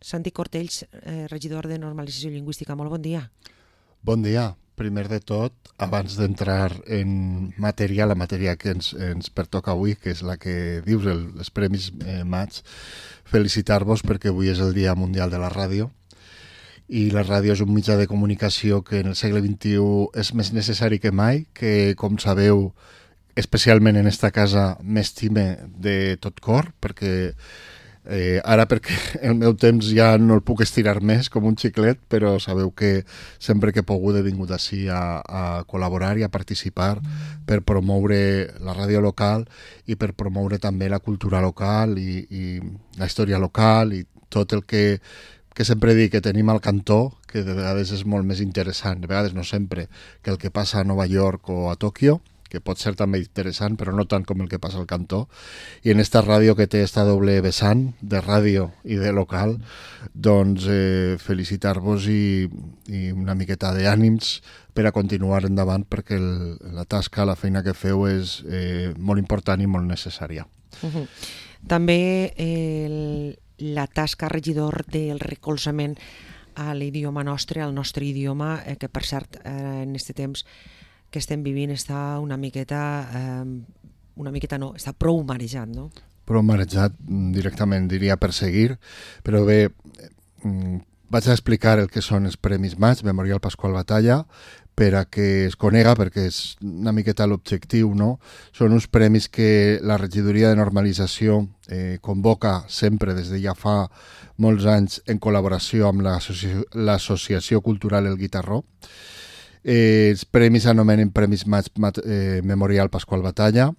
Santi Cortells, regidor de Normalització Lingüística. Molt bon dia. Bon dia. Primer de tot, abans d'entrar en matèria, la matèria que ens pertoca avui, que és la que dius, els Premis Maig, felicitar-vos perquè avui és el Dia Mundial de la Ràdio i la ràdio és un mitjà de comunicació que en el segle XXI és més necessari que mai, que, com sabeu, especialment en esta casa m'estime de tot cor, perquè ara perquè el meu temps ja no el puc estirar més com un xiclet, però sabeu que sempre que he pogut he vingut així a col·laborar i a participar per promoure la ràdio local i per promoure també la cultura local i la història local i tot el que sempre dic que tenim al cantó, que de vegades és molt més interessant, de vegades no sempre, que el que passa a Nova York o a Tòquio, que pot ser també interessant, però no tant com el que passa al cantó. I en esta ràdio que té esta doble vessant, de ràdio i de local, doncs felicitar-vos i una miqueta d'ànims per a continuar endavant, perquè la tasca, la feina que feu és molt important i molt necessària. També la tasca, regidor, del recolzament a l'idioma nostre, al nostre idioma, que per cert, en aquest temps que estem vivint està una miqueta no, està prou marejat, no? Prou marejat, directament diria perseguir, però bé, vaig a explicar el que són els Premis Maig, Memorial Pasqual Batalla, per a que es conega, perquè és una miqueta l'objectiu, no? Són uns premis que la regidoria de normalització convoca sempre des de ja fa molts anys en col·laboració amb l'Associació Cultural El Guitarró. Els premis s'anomenen Premis Maig Memorial Pasqual Batalla,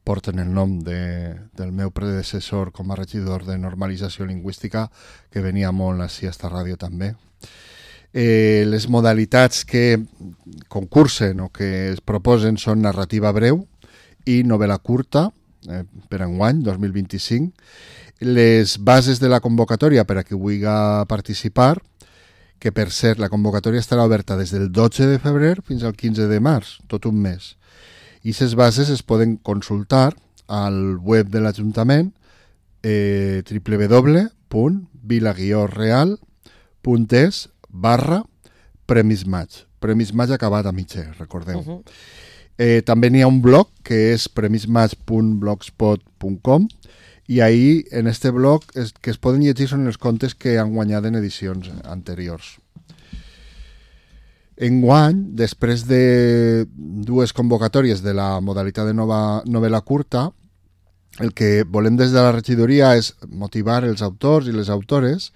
porten el nom del meu predecessor com a regidor de normalització lingüística, que venia molt així a esta ràdio també. Les modalitats que concursen o que es proposen són narrativa breu i novel·la curta per enguany, 2025. Les bases de la convocatòria per a qui vulgui participar, que per cert la convocatòria estarà oberta des del 12 de febrer fins al 15 de març, tot un mes. I aquestes bases es poden consultar al web de l'Ajuntament www.vila-real.es/Premis Maig. Premis Maig acabat a mitja, recordeu. També n'hi ha un blog que és premismaig.blogspot.com i ahir, en este blog, que es poden llegir són els contes que han guanyat en edicions anteriors. Enguany, després de dues convocatòries de la modalitat de novel·la curta, el que volem des de la regidoria és motivar els autors i les autores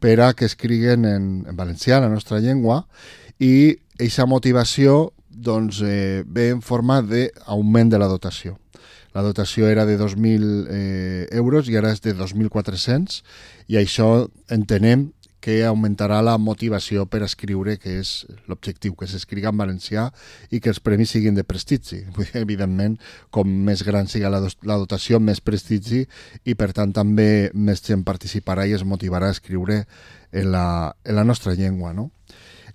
per a que escriguen en valencià, la nostra llengua, i aquesta motivació doncs, ve en forma d'augment de la dotació. La dotació era de 2.000 euros i ara és de 2.400 i això entenem que augmentarà la motivació per escriure, que és l'objectiu, que s'escriga en valencià i que els premis siguin de prestigi. Evidentment, com més gran siga la dotació, més prestigi i per tant també més gent participarà i es motivarà a escriure en la nostra llengua, no?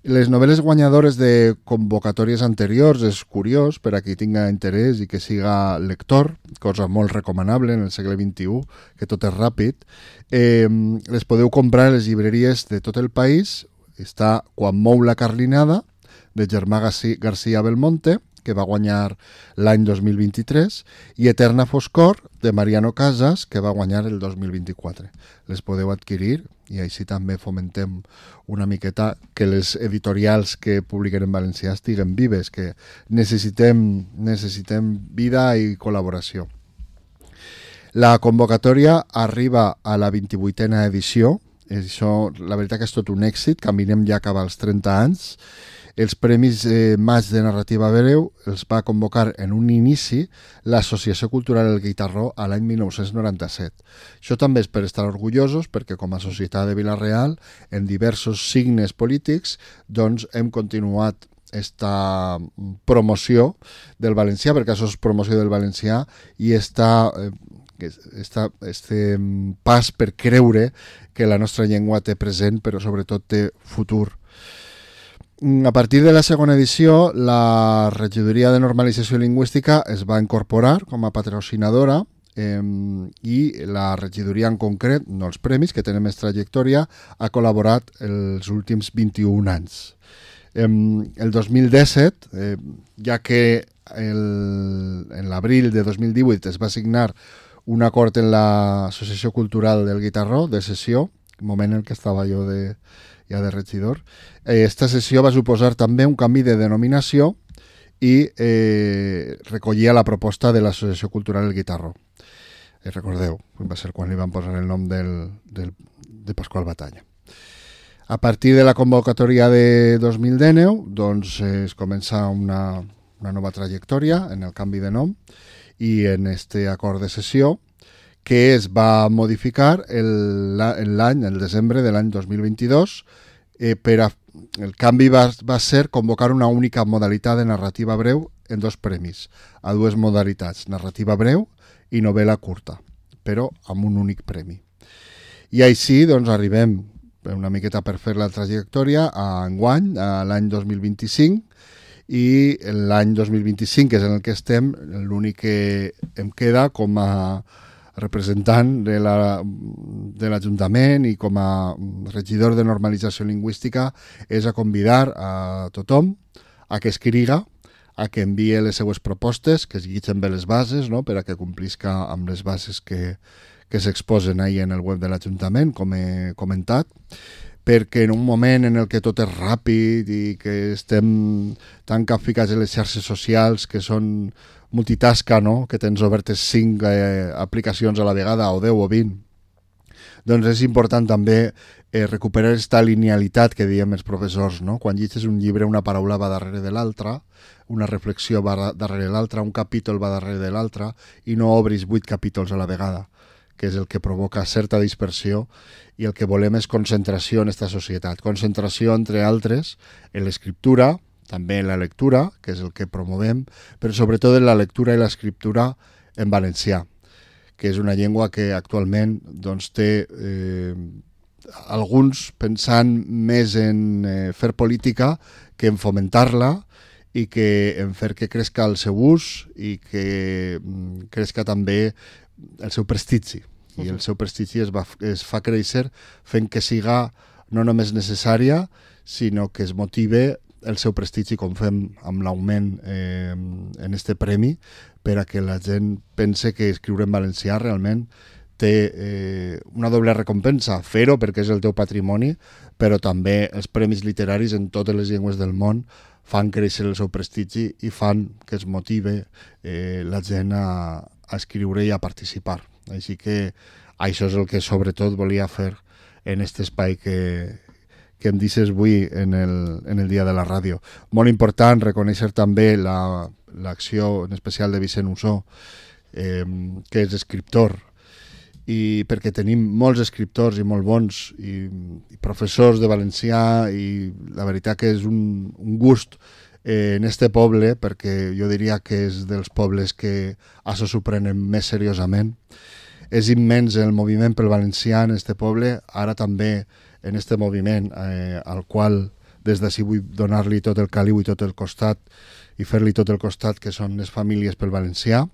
Les novel·les guanyadores de convocatòries anteriors és curiós per a qui tinga interès i que siga lector, cosa molt recomanable en el segle XXI, que tot és ràpid. Les podeu comprar a les llibreries de tot el país. Està Quan mou la carlinada, de Germà García Belmonte, que va guanyar l'any 2023, i Eterna Foscor, de Mariano Casas, que va guanyar el 2024. Les podeu adquirir i així també fomentem una miqueta que les editorials que publiquen en valencià estiguen vives, que necessitem vida i col·laboració. La convocatòria arriba a la 28a edició. Això, la veritat que és tot un èxit, caminem ja cap als 30 anys. Els Premis Maig de Narrativa Breu els va convocar en un inici l'Associació Cultural El Guitarró a l'any 1997. Això també és per estar orgullosos perquè com a societat de Vila-real, en diversos signes polítics, doncs hem continuat esta promoció del valencià, perquè això és promoció del valencià, i este pas per creure que la nostra llengua té present, però sobretot té futur. A partir de la segona edició, la Regidoria de Normalització Lingüística es va incorporar com a patrocinadora i la regidoria en concret, no els premis, que tenen més trajectòria, ha col·laborat els últims 21 anys. El 2017, ja que en l'abril de 2018 es va signar un acord en l'Associació Cultural del Guitarró, de sessió, moment en què estava jo ja de regidor, esta sessió va suposar també un canvi de denominació i recollia la proposta de l'Associació Cultural del Guitarró. Recordeu, va ser quan li van posar el nom de Pasqual Batalla. A partir de la convocatòria de 2019, doncs es comença una nova trajectòria en el canvi de nom i en este acord de sessió que es va modificar el desembre de l'any 2022. El canvi va ser convocar una única modalitat de narrativa breu en 2 premis, a 2 modalitats, narrativa breu i novel·la curta, però amb un únic premi. I així doncs, arribem una miqueta per fer la trajectòria a enguany, a l'any 2025, i l'any 2025, que és en el que estem, l'únic que em queda com a representant de l'Ajuntament i com a regidor de normalització lingüística és a convidar a tothom a que escriga, a que envie les seues propostes, que es guitgen bé les bases, no?, per a que complisca amb les bases que s'exposen ahir en el web de l'Ajuntament, com he comentat, perquè en un moment en el que tot és ràpid i que estem tan capficats en les xarxes socials que són multitasca, no?, que tens obertes 5 aplicacions a la vegada, o 10 o 20, doncs és important també recuperar aquesta linealitat que diem els professors, no? Quan llegeixes un llibre, una paraula va darrere de l'altra, una reflexió va darrere l'altra, un capítol va darrere de l'altre, i no obris 8 capítols a la vegada, que és el que provoca certa dispersió, i el que volem és concentració en aquesta societat. Concentració, entre altres, en l'escriptura, també en la lectura, que és el que promovem, però sobretot en la lectura i l'escriptura en valencià, que és una llengua que actualment doncs, té alguns pensant més en fer política que en fomentar-la i que en fer que crezca el seu ús i que crezca també el seu prestigi. I el seu prestigi es fa créixer fent que siga no només necessària, sinó que es motive el seu prestigi, com fem amb l'augment en este premi, per a que la gent pense que escriure en valencià realment té una doble recompensa, fer-ho perquè és el teu patrimoni, però també els premis literaris en totes les llengües del món fan créixer el seu prestigi i fan que es motive la gent a escriure i a participar. Així que això és el que sobretot volia fer en aquest espai que em deixes avui en el dia de la ràdio. Molt important reconèixer també l'acció en especial de Vicent Ussó, que és escriptor, i perquè tenim molts escriptors i molt bons i professors de valencià, i la veritat que és un gust en este poble, perquè jo diria que és dels pobles que això s'ho prenen més seriosament. És immens el moviment pel valencià en este poble, ara també en este moviment al qual des d'ací vull donar-li tot el caliu i tot el costat i fer-li tot el costat, que són les famílies pel valencià,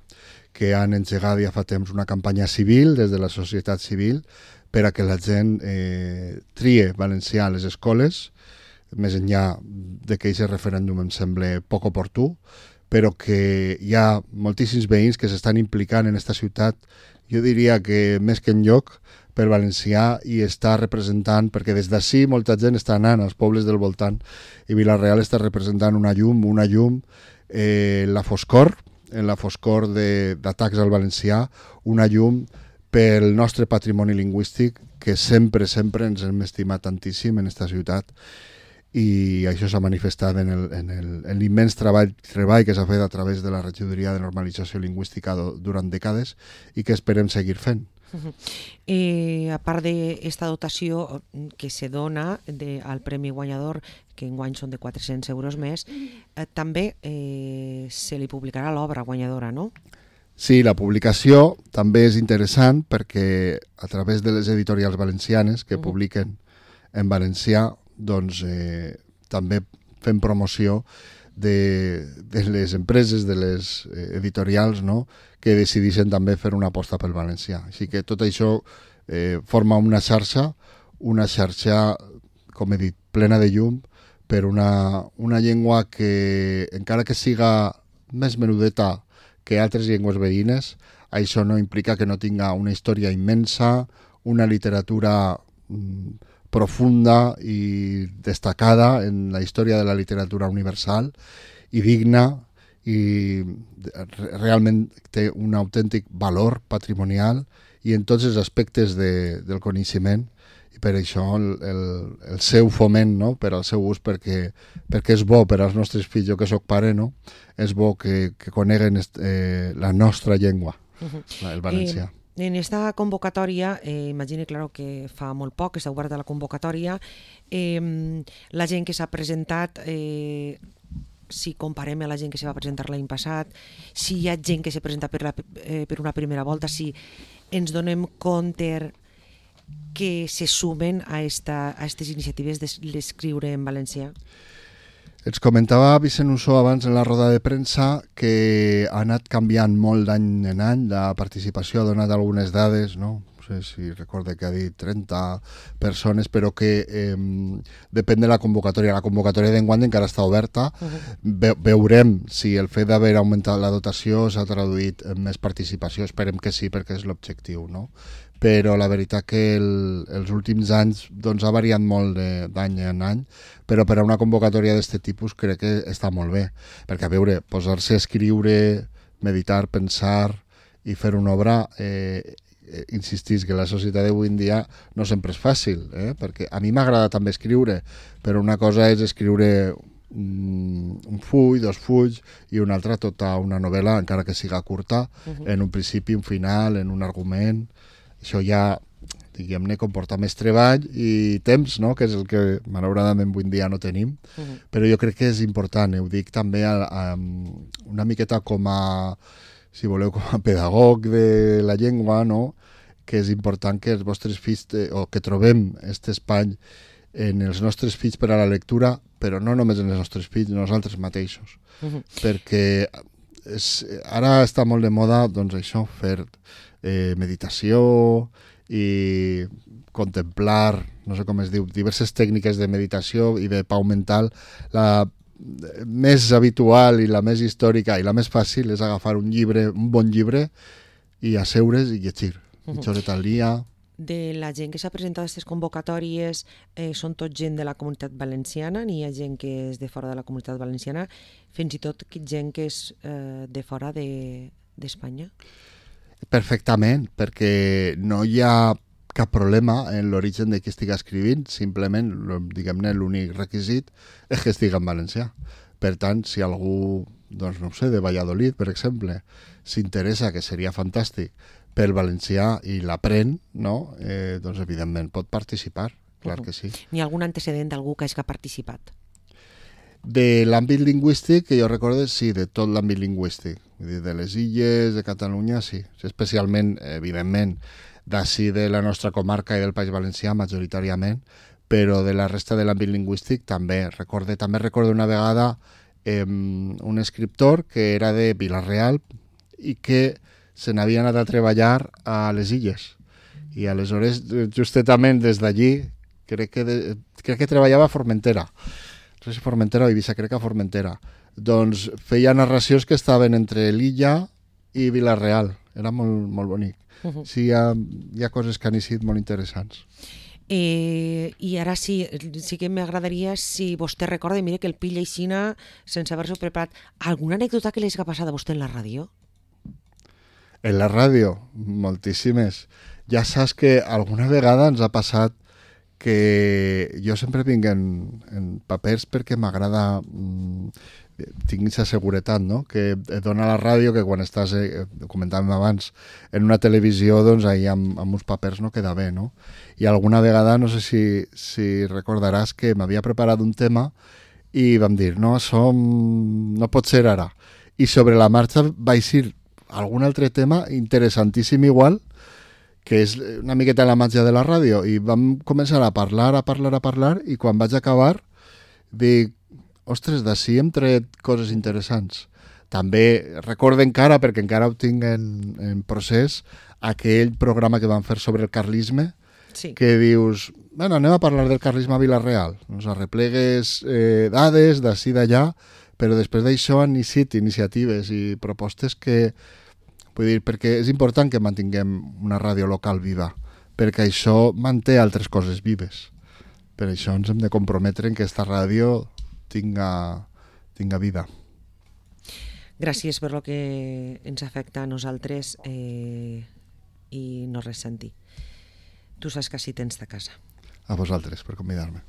que han engegat ja fa temps una campanya civil des de la societat civil per a que la gent trie valencià a les escoles, més enllà de que aquest referèndum em sembla poc oportú, però que hi ha moltíssims veïns que s'estan implicant en aquesta ciutat, jo diria que més que enlloc, per valencià, i està representant, perquè des d'ací molta gent està anant als pobles del voltant, i Vila-real està representant una llum, la foscor d'atacs al valencià, una llum pel nostre patrimoni lingüístic, que sempre ens hem estimat tantíssim en aquesta ciutat, i això s'ha manifestat en l'immens treball que s'ha fet a través de la regidoria de normalització lingüística durant dècades i que esperem seguir fent. A part d'esta dotació que se dona al Premi Guanyador, que enguany són de 400 euros més, també se li publicarà l'obra guanyadora, no? Sí, la publicació també és interessant perquè a través de les editorials valencianes que publiquen en valencià, doncs també fem promoció de les empreses, de les editorials, no? Que decidissin també fer una aposta pel valencià. Així que tot això forma una xarxa, com he dit, plena de llum, per una llengua que, encara que siga més menudeta que altres llengües veïnes, això no implica que no tinga una història immensa, una literatura profunda i destacada en la història de la literatura universal i digna, i realment té un autèntic valor patrimonial i en tots els aspectes del coneixement, i per això el seu foment, no? Per al seu ús, perquè és bo per als nostres fills, jo que sóc pare, no? És bo que coneguen la nostra llengua, el valencià. En esta convocatòria, imagine, claro, que fa molt poc que està oberta la convocatòria, la gent que s'ha presentat, si comparem a la gent que se va presentar l'any passat, si hi ha gent que se presenta per una primera volta, si ens donem compte que se sumen a aquestes iniciatives d'escriure en valencià. Ens comentava Vicent Ussó abans en la roda de premsa que ha anat canviant molt d'any en any la participació, ha donat algunes dades, no? No sé si recorda que ha dit 30 persones, però que depèn de la convocatòria. La convocatòria d'enguany encara està oberta. Veurem si el fet d'haver augmentat la dotació s'ha traduït en més participació. Esperem que sí, perquè és l'objectiu, no? Però la veritat que els últims anys doncs, ha variat molt d'any en any, però per a una convocatòria d'aquest tipus crec que està molt bé, perquè a veure, posar-se a escriure, meditar, pensar i fer una obra, insistís que la societat d'avui en dia no sempre és fàcil, perquè a mi m'agrada també escriure, però una cosa és escriure un full, 2 fulls, i una altra tota una novel·la, encara que siga curta, en un principi, un final, en un argument. Això ja, diguem-ne, comporta més treball i temps, no? Que és el que malauradament avui en dia no tenim, però jo crec que és important, ho dic també una miqueta com a, si voleu, com a pedagog de la llengua, no? Que és important que els vostres fills, o que trobem aquest espai en els nostres fills per a la lectura, però no només en els nostres fills, nosaltres mateixos, perquè ara està molt de moda, doncs això, fer meditació i contemplar, no sé com es diu, diverses tècniques de meditació i de pau mental. La més habitual i la més històrica i la més fàcil és agafar un bon llibre i asseure's i llegir mitja horeta al dia. De la gent que s'ha presentat a aquestes convocatòries, són tot gent de la comunitat valenciana, n'hi ha gent que és de fora de la comunitat valenciana, fins i tot gent que és de fora d'Espanya? Perfectament, perquè no hi ha cap problema en l'origen de qui estigui escrivint, simplement, diguem-ne, l'únic requisit és que estigui en valencià. Per tant, si algú, doncs no ho sé, de Valladolid, per exemple, s'interessa, que seria fantàstic, pel valencià i l'aprèn, no? Doncs evidentment pot participar, clar que sí. N'hi ha algun antecedent d'algú que hagi participat? De l'àmbit lingüístic, que jo recordo, sí, de tot l'àmbit lingüístic. Vull dir, de les illes, de Catalunya, sí. Especialment, evidentment, d'ací de la nostra comarca i del País Valencià, majoritàriament, però de la resta de l'àmbit lingüístic també. També recordo una vegada un escriptor que era de Vila-real i que se n'havia anat a treballar a les illes. I aleshores, justament des d'allí, crec que treballava a Formentera. No sé si Formentera o Eivissa, crec que a Formentera. Doncs feia narracions que estaven entre l'illa i Vila-real. Era molt, molt bonic. Sí, hi ha coses que han sigut molt interessants. I ara sí que m'agradaria, si vostè recorda, mira que el pilla aixina sense haver-s'ho preparat, alguna anècdota que li hagi passat a vostè en la ràdio? En la ràdio, moltíssimes. Ja saps que alguna vegada ens ha passat que jo sempre vinc en papers perquè m'agrada, tinc aquesta seguretat, no? Que et dona la ràdio, que quan estàs, comentàvem abans, en una televisió, doncs ahir amb uns papers no queda bé, no? I alguna vegada, no sé si recordaràs que m'havia preparat un tema i vam dir, no, això no pot ser ara. I sobre la marxa vaig dir algun altre tema interessantíssim igual, que és una miqueta la màgia de la ràdio, i vam començar a parlar, i quan vaig acabar dic, ostres, d'ací hem tret coses interessants. També recordo encara, perquè encara ho tinc en procés, aquell programa que van fer sobre el carlisme, Sí. que dius, bueno, anem a parlar del carlisme a Vila-real, ens arreplegues dades d'ací d'allà, però després d'això han iniciat iniciatives i propostes que, vull dir, perquè és important que mantinguem una ràdio local viva, perquè això manté altres coses vives. Per això ens hem de comprometre en que aquesta ràdio tinga vida. Gràcies per lo que ens afecta a nosaltres i no res sentir. Tu saps que així tens de casa. A vosaltres per convidar-me.